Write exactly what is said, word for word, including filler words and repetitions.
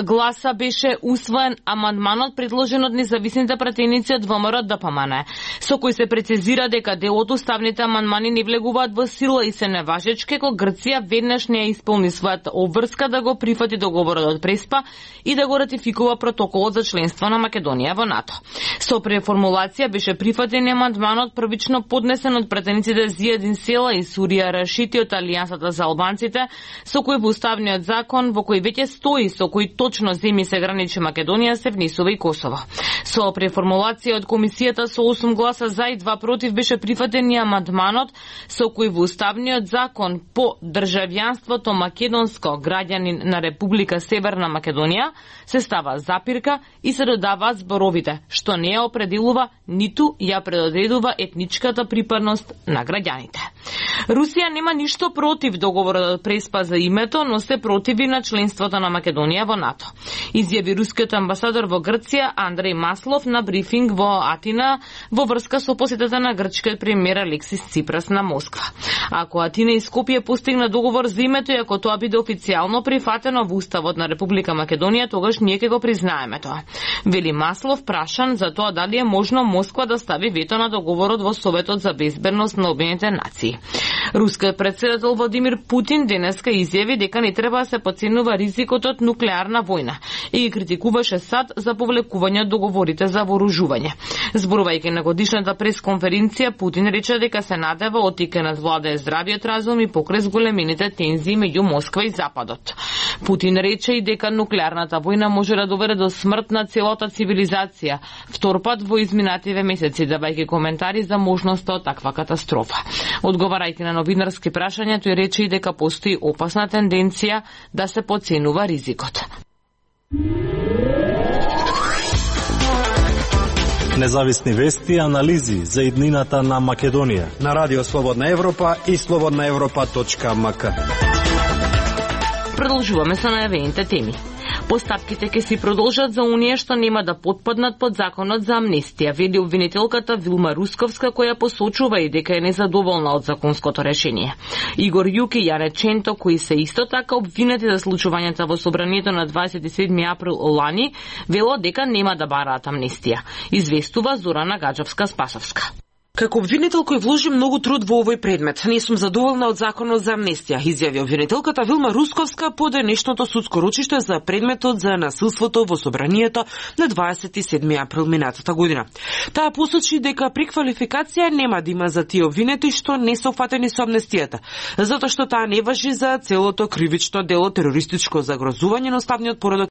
гласа беше усвоен амандманот предложен од независните пратеници од ВМРО ДПМН, со кој се прецизира дека дел од уставните амандмани не влегуваат во сила и се неважечки кога Грција веднаш не ја исполни својата обврска да го прифати договорот од Преспа и да го ратификува протоколот за членство на Македонија во НАТО. Со преформулација беше прифатен амандманот првично поднесен од пратениците Зијадин Села и Сурија Рашити од Алијансата за албанците, со кој во уставниот закон во кој веќе стои со кои точно земји се граничи Македонија се внесува и Косово. Со преформулација од комисијата со осум гласа за и два против беше прифатен и амандманот со кој во уставниот закон по државјанството македонско граѓанин на Република Северна Македонија се става запирка и се додаваат зборовите што не ја определува ниту ја предодредува етничката припадност на граѓаните. Русија нема ништо против договорот од Преспа за името, но се противи на членството на Македонија во НАТО. Изјави рускиот амбасадор во Грција Андреј Маслов на брифинг во Атина во врска со посетата на грчкиот премиер Алексис Ципрас на Москва. Ако Атина и Скопје постигна договор за името и ако тоа биде официјално прифатено во уставот на Република Македонија, тогаш ние ќе го признаеме тоа. Вели Маслов прашан за тоа дали е можно Москва да стави вето на договорот во Советот за безбедност на Обединетите нации. Рускиот претседател Владимир Путин денеска изјави дека не треба да се подценува ризикот од нуклеарна војна и ги критикуваше САД за повлекување од договорите за вооружување. Зборувајќи на годишната пресконференција, Путин рече дека се надева оттикнат владае здравиот разум и покрај зголемените тензии меѓу Москва и Западот. Путин рече и дека нуклеарната војна може да доведе до смрт на целата цивилизација, втор пат во изминативе месеци, давајќи коментари за можноста од таква катастрофа. Одговарајќи на новинарски прашања, тој рече и дека постои опасна тенденција да се подценува ризикот. Независни вести и анализи за иднината на Македонија на Радио Слободна Европа и слободна европа точка ем ка. Продолжуваме со најавените теми. Постапките ќе си продолжат за оние што нема да потпаднат под законот за амнестија, вели обвинителката Вилма Русковска, која посочува и дека е незадоволна од законското решение. Игор Јук и Јане Ченто, кои се исто така обвинети за случувањата во собранието на дваесет и седми април лани, вело дека нема да бараат амнестија, известува Зорана Гаджевска-Спасовска. Како обвинител кој вложи многу труд во овој предмет, не сум задоволна од законот за амнестија, изјави обвинителката Вилма Русковска по денешното судско рочиште за предметот за насилството во собранието на дваесет и седми април минатата година. Таа посочи дека преквалификација нема да има за тие обвинети што не се опфатени со амнестијата, затоа што таа не важи за целото кривично дело терористичко загрозување на уставниот поредок